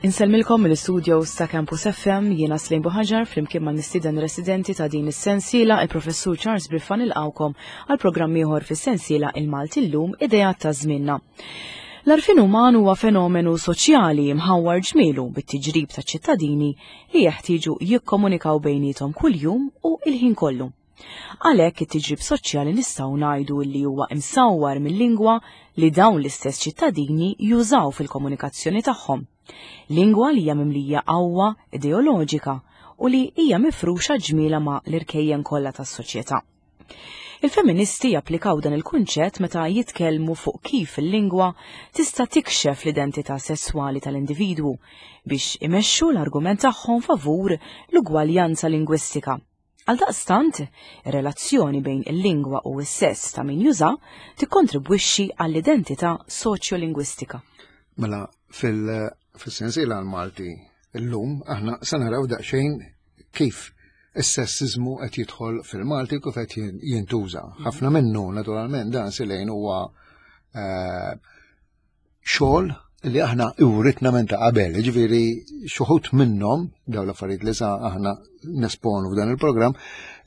Insellmilkom mill-istudios ta' Campus FM jiena Slejn Buħaġar flimkien ma' mistieden residenti ta' din is-sensiela il-Professur Charles Briffa nilqawkom għal programm ieħor fis-sensiela Il-Malti llum Ideat ta' żmienna. L-għarfien uman huwa fenomenu soċjali mħawwar ġmielu bit-tiġrib ta' ċittadini li jeħtieġu jikkomunikaw bejniethom kuljum u il-ħin kollu. Għalhekk it-tiġrib soċjali nistgħu ngħidu li huwa imsawwar mil-lingwa li dawn l-istess ċittadini jużaw fil-komunikazzjoni tagħhom. Lingwa li hija mimlija qawwa ideoloġika u li hija mifruxa ġmiela ma' l-irkejjen kollha tas-soċjetà. Il-femministi japplikaw dan il-kunċett meta jitkellmu fuq kif il-lingwa tista' tikxef l-identità sesswali tal-individwu biex imexxu l-argument tagħhom favur l-ugwaljanza lingwistika. Għaldaqstant, ir-relazzjoni bejn il-lingwa u s-sess ta' min juża tikkontribwixxi għall-identità soċjolingwistika. Mela, fil-sensiela għal-Malti illum aħna se naraw daqsxejn kif is-sessiżmu qed jidħol fil-Malti kif qed jintuża. Ħafna minnu naturalment dan silejn huwa eh, xogħol li aħna iwritna minn ta' qabel, ġifieri xuħut minnhom dawn l-affarijiet li sa aħna nesponu f'dan il-programm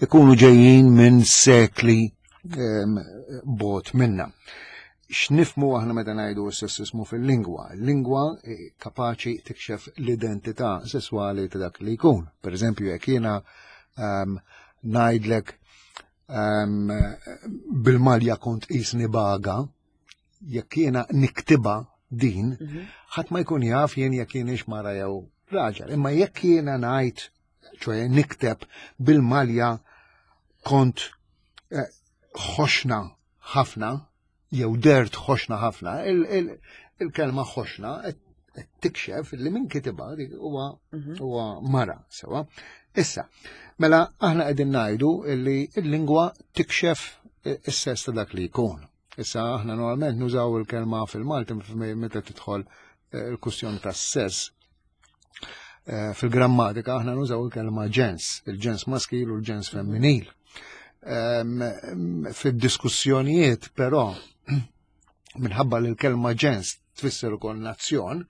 ikunu ġejjin minn sekli ehm, bot minna. X'nifmu aħna meta ngħidu s-sessismu fil-lingwa? Lingwa eh, kapaċi tikxef l-identità sesswali ta' dak li jkun. Per eżempju, jekk jiena ehm, ngħidlek ehm, bil-malja kont qisni baga, jekk jiena niktiba din, mhm. ħadd ma jkun jaf jien jekk jienix mara jew raġel. Imma jekk jiena ngħid, ċoħe nikteb bil-malja kont eh, ħoxna ħafna, jew dert ħoxna ħafna, il-kelma ħoxna qed tikxef li min kitibha dik huwa mhm. huwa mara sewa. Issa, mela aħna qegħdin ngħidu li l-lingwa tikxef is-sess ta' dak li jkun. Issa aħna normalment nużaw il-kelma fil-Malti meta tidħol eh, il-kustjoni tas sess. Eh, fil-grammatika aħna nużaw il-kelma ġens, il-ġens maskil u l-ġens femminil. Ehm, fid-diskussjonijiet però minħabba li l-kelma ġens tfisser ukoll nazzjon,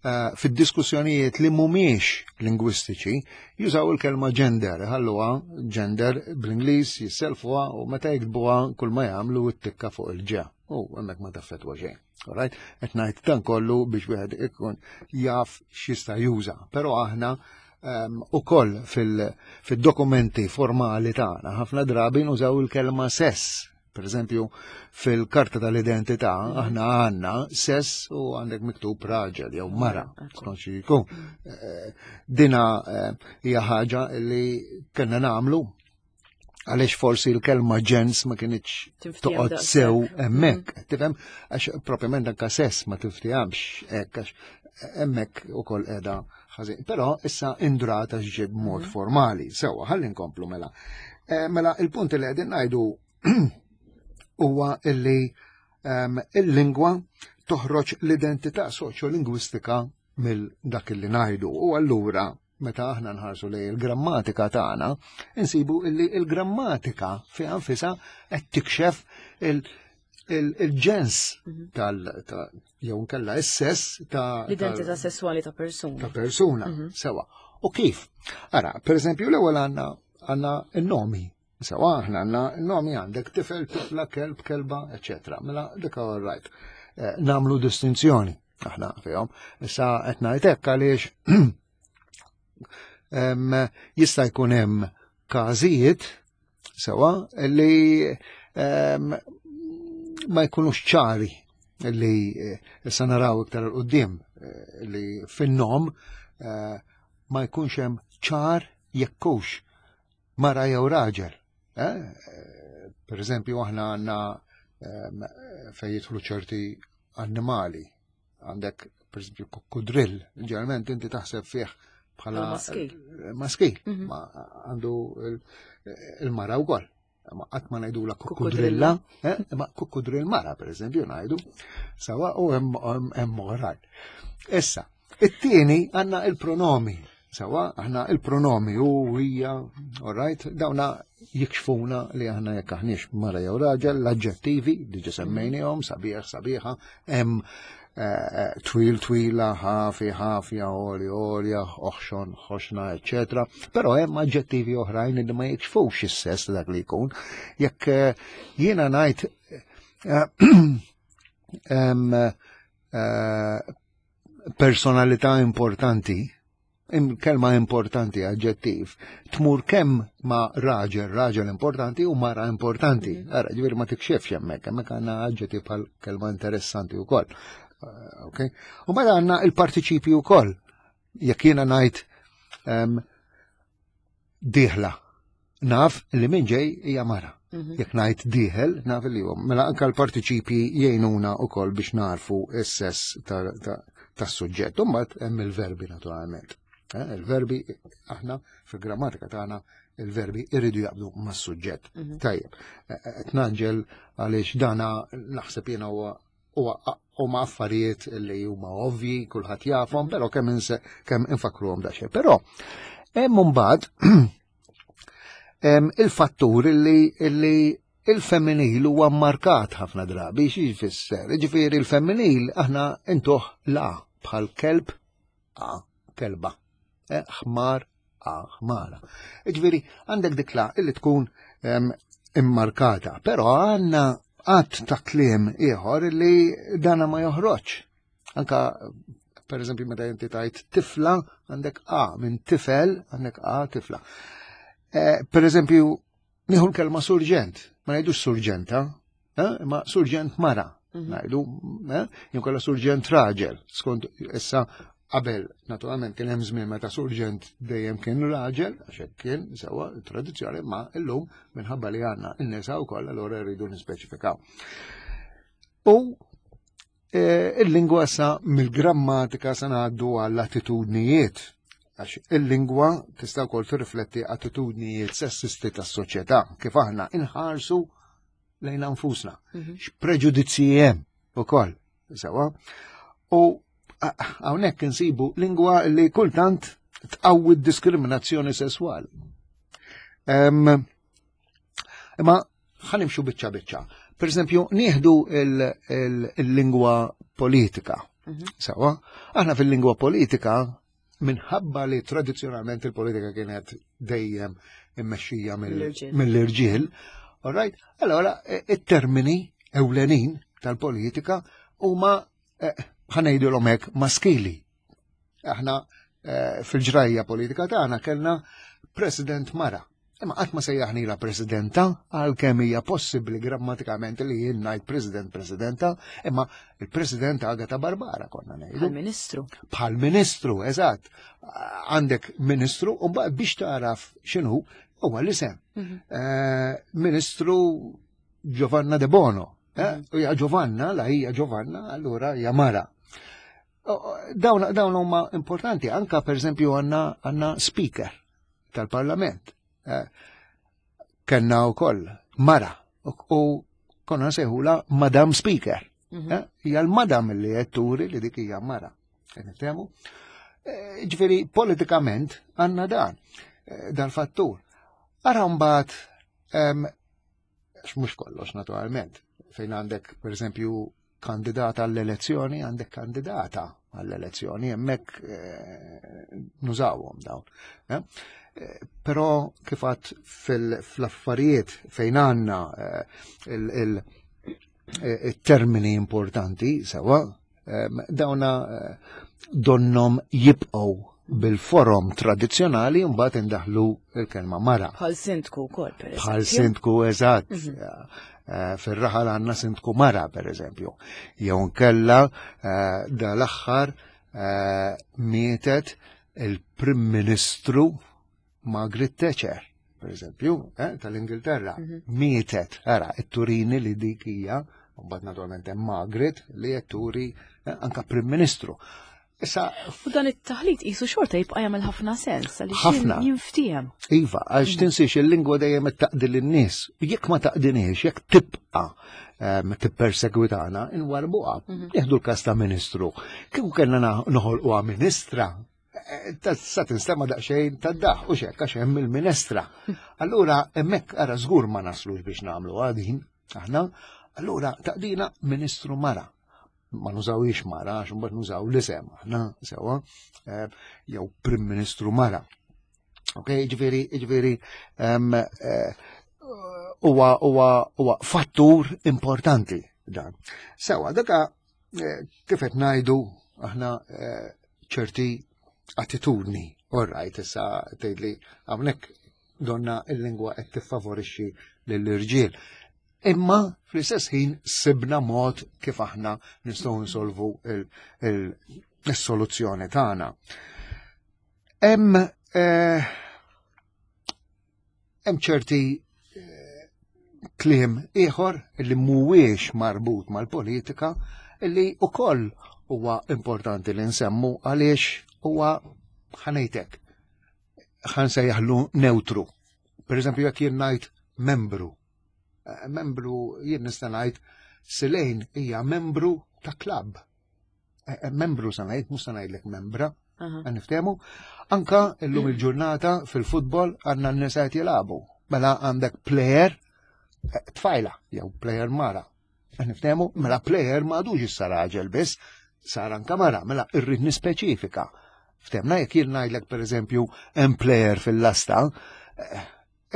eh, fid-diskussjonijiet li mhumiex lingwistiċi jużaw il-kelma gender, ħalluha gender bl-Ingliż jisselfuha u meta jiktbuha kull ma jagħmlu t-tikka fuq il-ġa. U hemmhekk ma taffetwa xejn. Alright? Qed ngħid dan kollu biex wieħed ikun jaf x'jista' juża. Però aħna um, ukoll fil-dokumenti formali tagħna ħafna drabi nużaw il-kelma sess Per eżempju, fil-karta tal-identità aħna għandna sess u għandek miktub raġel jew mara, skont xi jkun. Eh, dina eh, hija ħaġa li kellna nagħmlu għaliex forsi l-kelma ġens ma kienx toqgħod sew hemmhekk, mm. tifhem għax propjament anka sess ma tiftihomx hekk għax hemmhekk ukoll qiegħda ħażin. Però issa indrata x'ġie b'mod mm. formali. Sewwa, ħalli nkomplu mela. Eh, mela il-punt li qegħdin ngħidu huwa illi ehm, il-lingwa toħroġ l-identità soċjolingwistika mill dak li ngħidu. U allura meta aħna nħarsu lej il-grammatika tagħna, insibu illi il-grammatika fi anfisha qed tikxef il-ġens mhm. tal jew nkella s-sess ta' l-identità sesswali ta' persuna. Ta' persuna, mhm. sewa. U kif? Ara, per eżempju, l-ewwel għandna għandna n-nomi Sewa, aħna għandna nomi għandek tifel, tifla, kelb, kelba, eccetera. Mela, dik all right. Eh, namlu distinzjoni aħna fihom. Issa qed ngħid hekk għaliex jista' jkun hemm każijiet sewa li ma jkunux ċari li eh, issa naraw iktar il-qoddim eh, li fin-nom ma jkunx hemm ċar jekkux mara jew raġel. Eh? Per eżempju, aħna għandna ehm, fejn jidħlu ċerti annimali. Għandek, per eżempju, kukkudrill. Ġeneralment inti taħseb fih bħala maskil. Maskil, mhm. ma għandu il-mara wkoll. Ma qatt ma ngħidula kukkudrilla, eh? ma kukkudrill mara per eżempju ngħidu, sawa u hemm oħrajn. Issa, it-tieni għandna il-pronomi. Sawa, aħna il-pronomi u hija, all right, dawna jikxfuna li aħna jekk aħniex mara jew raġel, l-aġġettivi diġa semmejnihom, sabiħ, sabiħa, hemm eh, eh, twil, twila, ħafi, ħafja, oli, olja, oħxon, ħoxna, eccetera. Però hemm aġġettivi oħrajn li ma jikxfux is-sess dak li jkun. Jekk eh, jiena ngħid personalità importanti, kelma importanti, aġġettiv, tmur kemm ma' raġel, raġel importanti u mara importanti. Mhm. Ara, ġifieri ma tikxefx hemmhekk, hemmhekk għandna aġġettiv bħal kelma interessanti wkoll. Eh, ok? U mela għandna il-partiċipji wkoll. Jekk jiena ngħid ehm, dieħla. Naf li minn ġej hija mara. Mhm. Jekk ngħid dieħel, naf li huwa. Mela anke l-partiċipji jgħinuna wkoll biex narfu s-sess tas-suġġett. U mbagħad hemm il-verbi naturalment. Eh, il-verbi aħna fil-grammatika tagħna il-verbi irridu jaqbdu mas-suġġett. Mhm. Tajjeb, eh, eh, tnaġġel għaliex dana naħseb jiena huwa huma affarijiet li huma ovvji, kulħadd jafhom, però kemm kemm infakruhom daqsxejn. Però hemm imbagħad il-fattur li il-femminil huwa markat ħafna drabi xi jfisser. Ġifieri il-femminil aħna intuh la bħal kelb a kelba, eh, ħmar a ħmara. Ġifieri għandek dik la illi tkun immarkata, però għandna għadd ta' kliem ieħor li dana ma joħroġ. Anka per eżempju meta inti tajt tifla għandek A minn tifel għandek A tifla. Eh, per eżempju, nieħu l-kelma surġent, ma ngħidux surġenta, eh, ma surġent mara. Mhm. Ngħidu, eh, jew kollha surġent raġel, skont issa qabel naturalment kien hemm żmien meta surġent dejjem kien raġel, għax hekk kien sewwa tradizzjoni, ma illum minħabba li għandna n-nisa wkoll allura rridu nispeċifikaw. U eh, il-lingwa sa mill-grammatika sa ngħaddu għall-attitudnijiet għax il-lingwa tista' wkoll tirrifletti attitudnijiet sessisti tas-soċjetà kif aħna inħarsu lejn anfusna. Mhm. X'preġudizzji hemm ukoll, sewa. U hawnhekk insibu lingwa li kultant tqawwi diskriminazzjoni sesswali. Imma ħanimxu biċċa biċċa. Per eżempju, nieħdu il-lingwa politika. Mhm. Sewa, aħna fil-lingwa politika minħabba li tradizzjonalment il-politika kienet dejjem immexxija mill-irġiel, all right? Allora, e, it-termini ewlenin tal-politika huma e, ħanejdilhom hekk maskili. Aħna e, fil-ġrajja politika tagħna kellna president mara. Imma qatt ma sejjaħnila presidenta għalkemm hija possibbli grammatikament li jien ngħid president presidenta, imma il-president Agata Barbara konna ngħidu. Bħal ministru. Bħal ministru, eżatt. Għandek ministru u mbagħad biex tagħraf x'inhu huwa l-isem. Mhm. Eh, ministru Giovanna De Bono. Eh, mhm. U hija Giovanna, la hija Giovanna, allura hija mara. Dawn huma importanti, anka per eżempju għandna speaker tal-parlament. Eh, kenna u koll mara u konna nsejħula Madam Speaker. Mhm. Eh, hija l-madam li qed turi li dik hija mara. Qed niftehmu? Eh, ġifieri politikament għandna dan dal-fattur. Ara mbagħad għax mhux kollox naturalment, fejn għandek per eżempju kandidata għall-elezzjoni, għandek kandidata għall-elezzjoni, hemmhekk eh, nużawhom dawn. Eh? Eh, però kif għad fl-affarijiet fejn għandna il-termini importanti sewa, dawna donnom jibqgħu bil-forom tradizzjonali mbagħad indaħlu l-kelma mara. Bħal sindku wkoll per Bħal sindku eżatt. Mhm. Eh, fir-raħal għandna sindku mara per eżempju. Jew nkella eh, dal-aħħar eh, mietet il-Prim Ministru Margaret Thatcher, per eżempju, eh, tal-Ingilterra, mhm. mietet, ara, it-turini li dik hija, mbagħad naturalment hemm Margaret li qed turi eh, anka Prim Ministru. Issa, u dan it-taħlit qisu xorta jibqa' jagħmel ħafna sens għaliex ħafna jinftiehem. Iva, għax mhm. tinsiex il-lingwa dejjem qed taqdi lin-nies. Jekk ma taqdiniex, jekk tibqa' ehm, tippersegwitana, inwarbuha. Mhm. Nieħdu l-każ ta' ministru. Kieku kellna noħolquha ministra, Eh, sa tinstema daqsxejn tad-daħ u xekk għax hemm il-minestra. Allura hemmhekk ara żgur ma naslux biex nagħmlu għadin aħna, allura taqdina Ministru Mara. Ma nużawix mara għax imbagħad nużaw l-isem aħna sewwa eh, jew Prim Ministru Mara. Ok, ġifieri, ġifieri eh, huwa huwa fattur importanti dan. Sewa, daka eh, kif qed ngħidu aħna ċerti attitudni. All right, issa tgħidli hawnhekk donna il-lingwa qed tiffavorixxi lill-irġiel. Imma fl-istess ħin sibna mod kif aħna nistgħu nsolvu il-soluzzjoni tagħna. Hemm eh, hemm ċerti eh, kliem ieħor li mhuwiex marbut mal-politika li ukoll huwa importanti li nsemmu għaliex huwa ħanejtek ħansejjaħlu neutru. Per eżempju, jekk jien ngħid membru, eh, membru jien nista' ngħid Silejn hija membru ta' klabb. Eh, eh, membru sa ngħid, mhux sa ngħidlek membra, niftehmu. Anka illum il-ġurnata fil-futbol għandna n-nisa qed jilagħbu. Mela għandek player eh, tfajla jew player mara. Niftehmu, mela player m'għadux issa raġel biss, sar anka mara, mela irrid nispeċifika. Ftemna jekk jien ngħidlek pereżempju hemm player fil-lasta,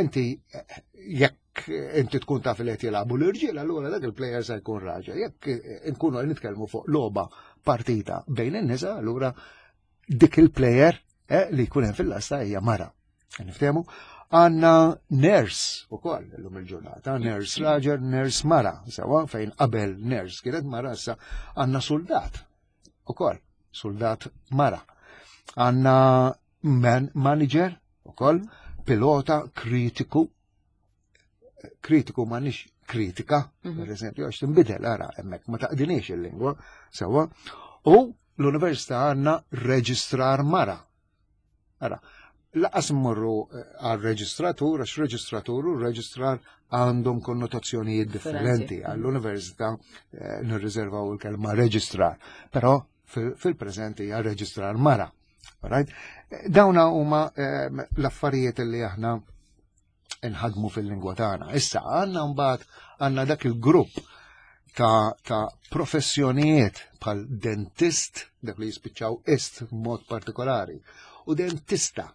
inti jekk inti tkun taf li qed jilagħbu l-irġiel, allura dak il-player se jkun raġel. Jekk inkunu qed nitkellmu fuq logħba partita bejn in-nisa, allura dik il-player eh, li jkun hemm fil-lasta hija mara. Niftehmu? Għanna nurse u koll l-lum il-ġurnata, nurse raġel, nurse mara, sewa fejn qabel nurse kienet mara issa għanna soldat u koll, soldat mara. Għanna man manager ukoll, pilota kritiku, kritiku ma nix kritika, mhm. per eżempju, għax tinbidel ara hemmhekk ma taqdiniex il-lingwa sewwa. U l-università għandna reġistrar mara. Ara, laqas mmorru eh, għal reġistratur, għax reġistratur u reġistrar għandhom konnotazzjonijiet differenti. Għall-università eh, nirriservaw il-kelma reġistrar, però fil-preżent hija reġistrar mara. Right? Dawna huma ehm, l-affarijiet li aħna nħadmu fil-lingwa tagħna. Issa għandna mbagħad għandna dak il-grupp ta', ta professjonijiet bħal dentist, dak li jispiċċaw ist mod partikolari, u dentista.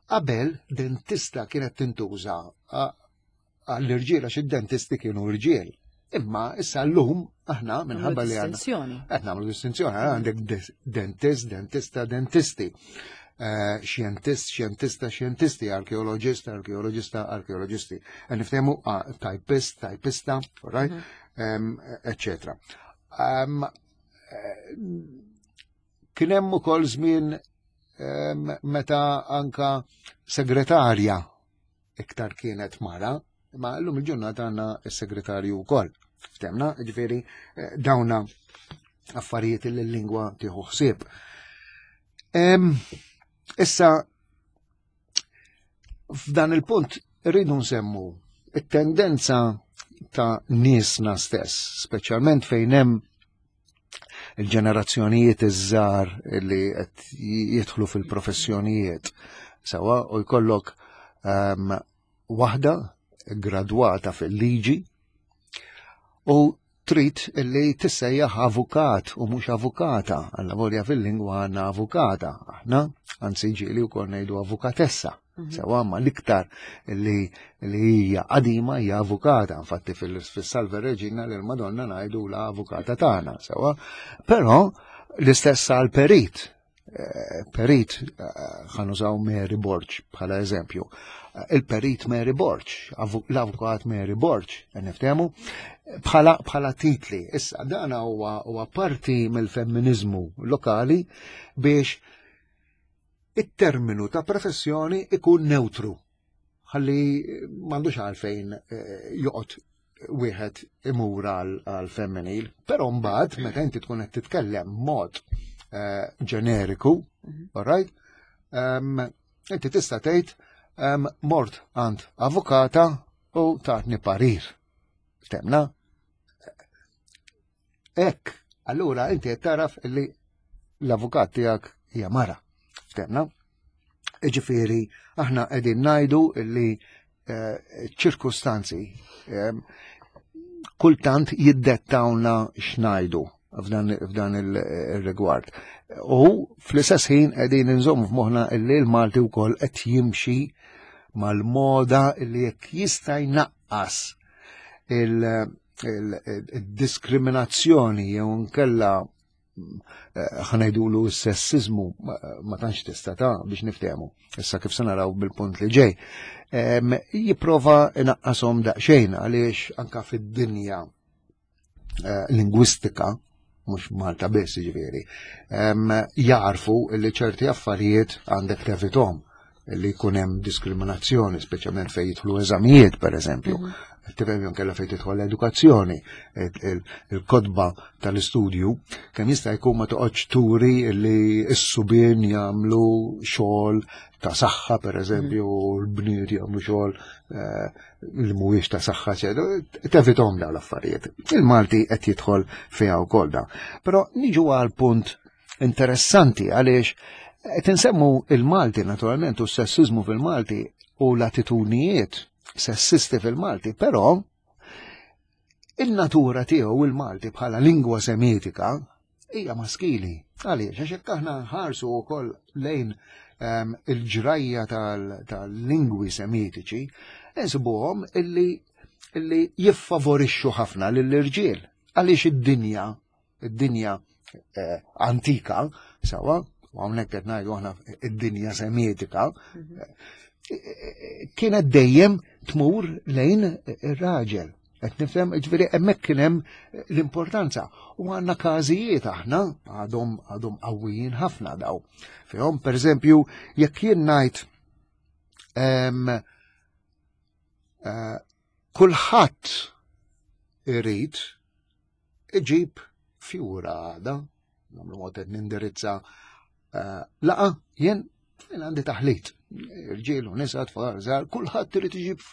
Qabel dentista kienet tintuża għall-irġiel għax id-dentisti kienu rġiel. Imma issa llum aħna minħabba li għandna. Qed nagħmlu distinzjoni, għandek dentist, dentista, dentisti. Eh, xjentist, xjentista, xjentisti, arkeologist, arkeologista, arkeologisti. Eh, niftehmu ah, typist, typista, right? Mhm. Eccetera. Eh, kien hemm ukoll żmien meta anka segretarja iktar kienet mara, ma llum il-ġurnata għandna s-segretarju wkoll. Ftemna, ġifieri eh, dawna affarijiet li l-lingwa tieħu ħsieb. Issa f'dan il-punt rridu nsemmu it-tendenza ta' niesna stess, speċjalment fejn hemm il-ġenerazzjonijiet iż-żgħar li qed jidħlu fil-professjonijiet sewa u jkollok um, waħda gradwata fil-liġi u trid li tissejjaħ avukat u mhux avukata, għalla volja fil-lingwa għandna avukata, aħna anzi ġieli wkoll ngħidu avukatessa. Mhm. Sewa ma l-iktar li li hija qadima hija avukata, infatti fil-Salve Regina lil Madonna ngħidu la avukata tagħna, sewa. Però l-istess għal perit, eh, perit eh, ħanużaw Mary Borg bħala eżempju. Eh, il-perit Mary Borg, l-avukat Mary Borg, niftehmu, bħala bħala titli. Issa dan huwa parti mill-femminizmu lokali biex it-terminu ta' professjoni ikun neutru ħalli m'għandux għalfejn eh, joqgħod wieħed imur għal femminil, però mbagħad meta inti tkun qed titkellem mod eh, ġeneriku, mhm. all right? Inti tista' tgħid mort għand avukata u tatni parir. Temna? Ek, allura inti qed taraf li l-avukat tiegħek hija mara. ftemna. Ġifieri aħna qegħdin ngħidu li eh, ċirkustanzi eh, kultant jiddettawna x'ngħidu f'dan il-rigward. U fl-istess ħin qegħdin inżomm f'moħħna illi l-Malti wkoll qed jimxi mal-moda illi jekk jista' jnaqqas il-diskriminazzjoni jew nkella eh, ħanajdulu s-sessizmu ma tantx tista' ta' biex niftehmu. Issa kif se naraw bil-punt li ġej. Jipprova inaqqashom daqsxejn għaliex anka fid-dinja eh, lingwistika, mhux Malta biss ġifieri, jarfu li ċerti affarijiet għandek tevitom li jkun hemm diskriminazzjoni, speċjalment fejn jidħlu eżamijiet pereżempju. Mm -hmm. Tifhem jew kellha fejn tidħol l-edukazzjoni, il-kotba tal-istudju, kemm jista' jkun ma toqgħodx turi li s-subien jagħmlu xogħol ta' saħħa pereżempju, mhm. l-bniet jagħmlu xogħol eh, li mhuwiex ta' saħħa tevitom dawn l-affarijiet. Il-Malti qed jidħol fiha wkoll da. Però niġu għal punt interessanti għaliex qed insemmu il-Malti naturalment u s-sessizmu fil-Malti u l-attitudnijiet sessisti fil-Malti, però il-natura tiegħu il-Malti bħala lingwa semitika hija maskili. Għaliex, għax jekk aħna nħarsu wkoll lejn ehm, il-ġrajja tal-lingwi semitiċi, insibuhom illi illi jiffavorixxu ħafna lill-irġiel. Għaliex id-dinja, id-dinja eh, antika, sawa, u hawnhekk qed ngħidu aħna id-dinja semitika, mhm. eh, kienet dejjem tmur lejn ir-raġel. Qed nifhem, ġifieri hemmhekk kien hemm l-importanza. U għandna każijiet aħna għadhom għadhom qawwijin ħafna daw. Fihom pereżempju jekk jien ngħid eh, kulħadd irid iġib fjura għada, nagħmlu mod qed nindirizza eh, laqa jien jien għandi taħlit. Irġiel u nisa tfal żgħar, kulħadd irid iġib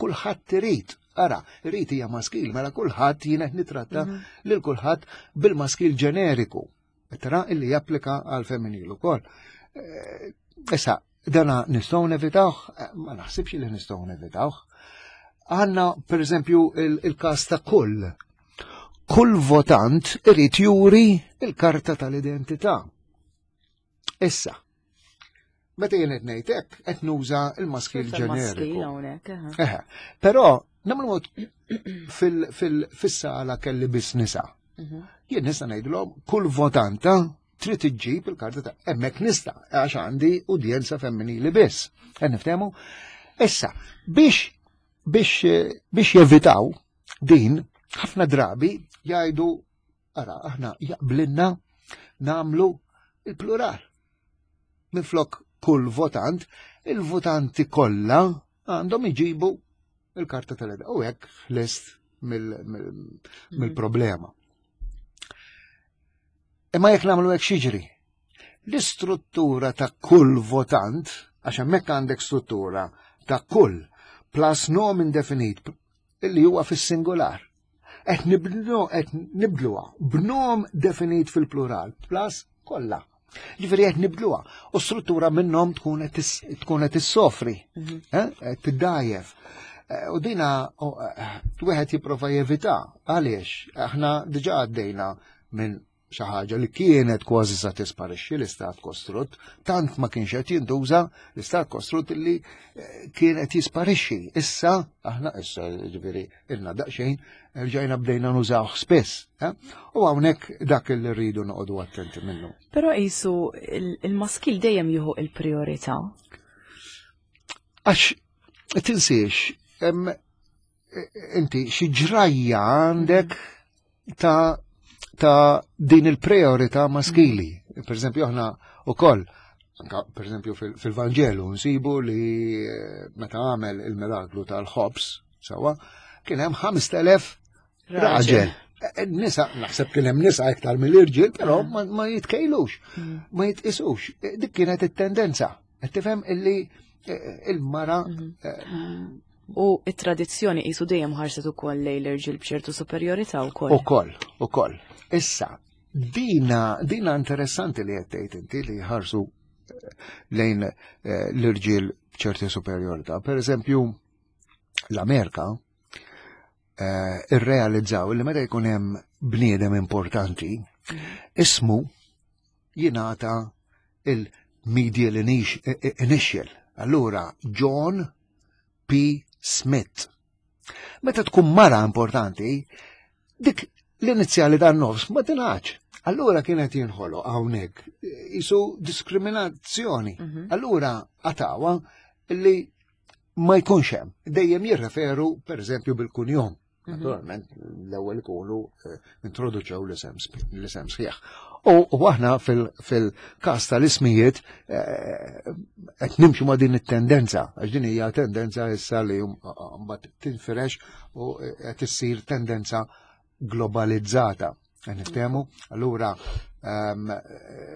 kulħadd irid. Ara, irid hija maskil, mela kulħadd jien qed nitratta mhm. lil kulħadd bil-maskil ġeneriku. Tara illi japplika għal femminil ukoll. Eh, issa, dana nistgħu nevitawh, eh, ma naħsibx li nistgħu nevitawh. Għanna, per eżempju, il-każ ta' kull. Kull votant irid juri il-karta tal-identità. Issa, meta jien qed ngħid hekk qed nuża l-maskil ġeneriku. Eħe, però nagħmlu mod fis-sala kelli biss nisa. Mhm. Jien nista' ngħidilhom kull votanta trid iġġib il-karta ta' hemmhekk nista' għax għandi udjenza femminili biss. Qed niftehmu? Issa, biex biex biex jevitaw din ħafna drabi jgħidu Ara, aħna jaqblinna namlu il-plural. Minflok kull votant, il-votanti kollha għandhom iġibu il-karta tal-eda. U hekk lest mill-problema. Imma jekk nagħmlu hekk xiġri. L-istruttura ta' kull votant, għax hemmhekk għandek struttura ta' kull plus nom indefinit illi huwa fis-singular. Qed nibdlu qed nibdluha b'nom definit fil-plural plus kollha. Ġifieri qed nibdluha u struttura minnhom tkun qed issofri, mhm. eh, qed tiddajjef. Eh, u dina eh, wieħed jipprova jevita għaliex aħna diġà għaddejna minn xi ħaġa li kienet kważi sa tisparixxi l-istat kostrutt, tant ma kienx qed jintuża l-istat kostrutt li eh, kien qed jisparixxi. Issa aħna issa ġifieri ilna daqsxejn rġajna bdejna nużawh spiss. Eh? U hawnhekk dak li rridu noqogħdu attenti minnu. Però qisu il-maskil dejjem jieħu il-priorità. Għax tinsiex, inti xi ġrajja għandek ta' ta' din il-priorità maskili. Per eżempju, aħna ukoll, per eżempju fil-Vanġelu nsibu li eh, meta għamel il-miraklu tal-ħobs, sawa, kien hemm 5000 raġel. Eh, eh, nisa, naħseb kien hemm nisa iktar mill-irġiel, però mm. ma jitkejlux, mm. ma jitqisux. Dik kienet it-tendenza. Qed tifhem illi il-mara mm-hmm. U it-tradizzjoni qisu dejjem ħarset ukoll lejn l-irġiel b'ċertu superjorità wkoll. Ukoll, ukoll. Issa, dina, dina interessanti li qed tgħid inti li ħarsu lejn eh, l-irġiel b'ċerti superjorità. Per eżempju, l-Amerika eh, irrealizzaw li meta jkun hemm bniedem importanti, ismu jingħata il-medial initial. Allura, John P. Smith. Meta tkun mara importanti, dik l-inizjali tan nofs ma tingħax. Allura kienet jinħolo hawnhekk isu diskriminazzjoni. Mhm. Allura għatawa li ma jkunx hemm. Dejjem jirreferu pereżempju bil-kunjom. Mhm. Naturalment, l-ewwel ikunu eh, introduċew l-isem sħiħ. U aħna fil-każ tal-ismijiet eh, qed nimxu ma' din it-tendenza, għax din hija tendenza issa li mbagħad tinfirex u eh, qed issir tendenza globalizzata. Niftehmu, allura ehm,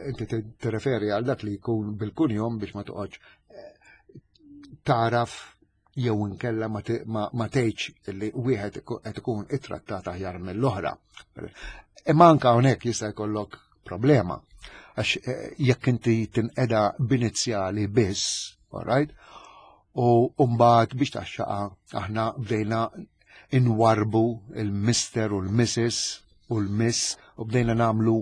inti tirreferi għal dak li jkun bil-kunjom biex ma toqgħodx taraf jew inkella ma tgħidx li wieħed qed ikun ittrattat aħjar mill-oħra. Imma anke hawnhekk jista' jkollok problema. Għax eh, jekk inti tinqeda b'inizjali biss, all right? U mbagħad biex taxxaqa aħna bdejna inwarbu il-Mister u l-Mrs u l-Miss u bdejna namlu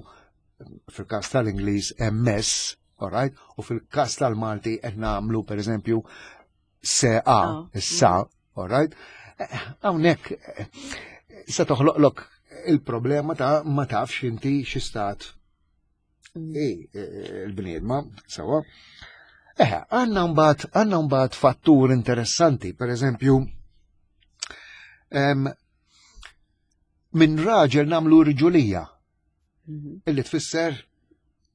fil-każ tal-Ingliż MS, all right? U fil-każ tal-Malti qed nagħmlu pereżempju se a, ah. issa, all right? Eh, hawnhekk eh, se toħloqlok il-problema ta' ma tafx inti xi stat mm. eh, il-bniedma, sawa. Eħe, għanna mbagħad għandna mbagħad fattur interessanti, per eżempju, minn raġel namlu rġulija. Mhm. Illi tfisser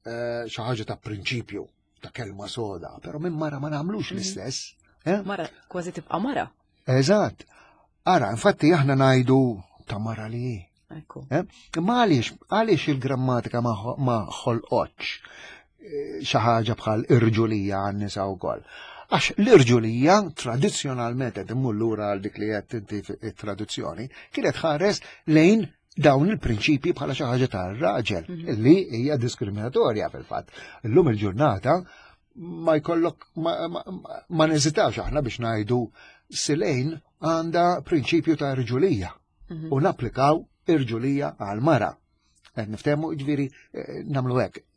eh, xi ħaġa ta' prinċipju, ta' kelma soda, però minn mara ma nagħmlux mhm. l-istess. Eh? Mara, kważi tibqa' mara. Eżatt. Ara, infatti aħna ngħidu ta' mara li hi. Eh? Imma għaliex għaliex il-grammatika ma ħolqotx xi ħaġa bħal irġulija għan-nisa wkoll. Għax l-irġulija tradizzjonalment qed immur lura għal dik li qed inti it-tradizzjoni, kienet ħares lejn dawn il-prinċipji bħala xi ħaġa tar-raġel mhm. li hija diskriminatorja fil-fatt. Illum il-ġurnata ma jkollok ma neżitax aħna biex ngħidu silejn għandha prinċipju ta' irġulija mhm. u napplikaw irġulija għal mara. Qed niftehmu ġifieri eh, nagħmlu hekk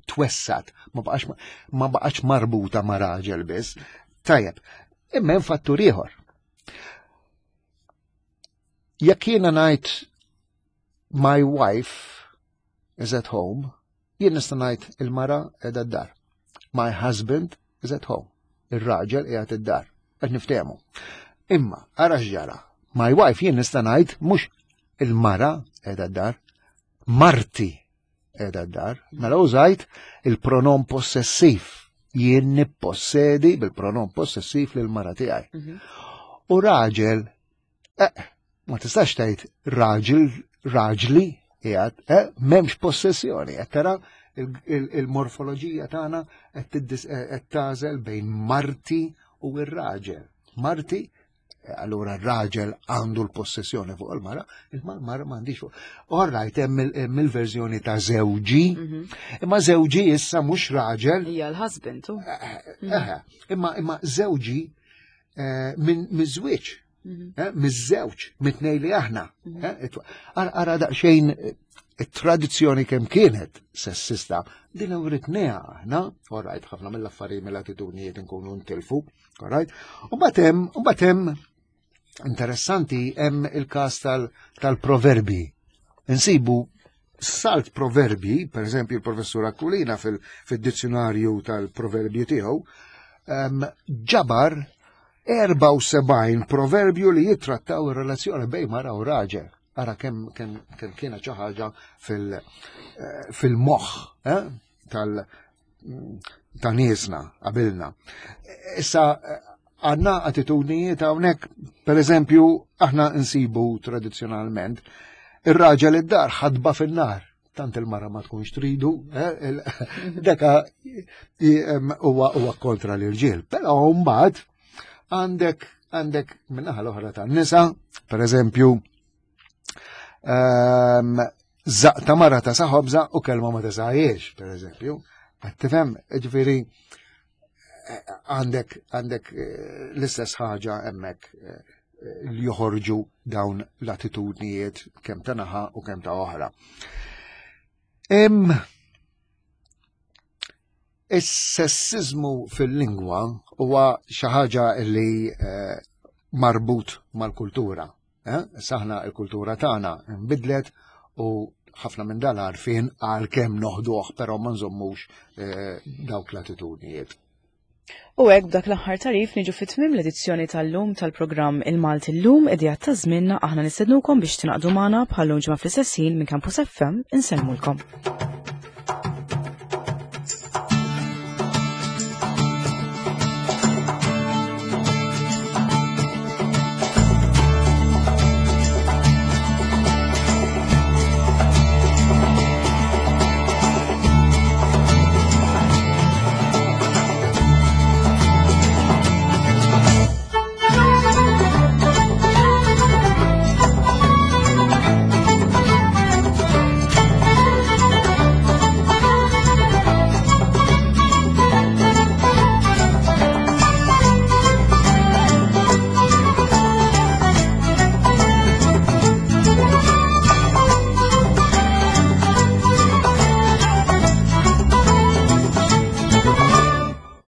twessat, ma baqax ma baqax marbuta ma' raġel biss. Tajjeb, imma hemm fattur ieħor. Jekk jiena ngħid my wife is at home, jien nista' ngħid il-mara qiegħda d-dar. My husband is at home. Ir-raġel qiegħed id-dar. Qed niftehmu. Imma ara x'ġara. My wife jien nista' ngħid mhux il-mara qiegħda d-dar, marti qiegħda d-dar. Mela użajt il-pronom possessiv. Jien nippossedi bil-pronom possessiv lil mara tiegħi. Mhm. U raġel, eh, ma tistax tgħid raġel, raġli qiegħed, eh, m'hemmx possessjoni, qed tara il-morfoloġija tagħna qed eh, tagħżel bejn marti u r-raġel. Marti allura r-raġel għandu l-possessjoni fuq il-mara, imma l-mara m'għandix fuq. All right, hemm il-verżjoni ta' żewġi, mhm. imma żewġi issa mhux raġel. Hija l-husband. Eh, eh, eh, imma imma żewġi minn miż-żwieġ, mhm. miż-żewġ, mit-tnej li aħna. Mhm. Ara daqsxejn it-tradizzjoni kemm kienet sessista, din uritnija aħna, all right, ħafna mill-affarijiet mill-attitudnijiet nkunu ntilfu, Alright? U batem, u batem, interessanti, hemm il-kas tal-proverbi. Insibu salt proverbi, per eżempju il-professur Aquilina fil-dizzjonarju tal-proverbju tiegħu, ġabar 74 proverbju li jittrattaw ir-relazzjoni bejn mara u raġel. Ara kemm kem, kem kienet xi ħaġa eh, fil-moħħ eh, tal ta' niesna qabilna. Issa għandna attitudnijiet hawnhekk, per eżempju, aħna nsibu tradizzjonalment ir-raġel id-dar ħadba fin-nar tant il-mara ma tkunx tridu, eh, deka huwa kontra l-irġiel. Però mbagħad għandek għandek minnaħa l-oħra tan-nisa, per eżempju, ehm, Zaq ta' mara ta' saħobza u kelma ma tesajiex, per eżempju. Qed tifhem, ġifieri għandek għandek eh, l-istess ħaġa hemmhekk eh, li joħorġu dawn l-attitudnijiet kemm ta' naħa u kemm ta' oħra. Is-sessizmu fil-lingwa huwa xi ħaġa li eh, marbut mal-kultura. Eh? Saħna il-kultura tagħna nbidlet u ħafna minn dan għarfien għal kemm noħduh però ma nżommux eh, dawk l-attitudnijiet. U hekk b'dak l-aħħar tarif niġu fit tmiem l-edizzjoni tal-lum tal-programm Il-Malti llum idejat ta' żmienna aħna nistednukom biex tingħaqdu magħna bħal-lum ġimgħa fl-istess ħin minn Campus FM insellmulkom.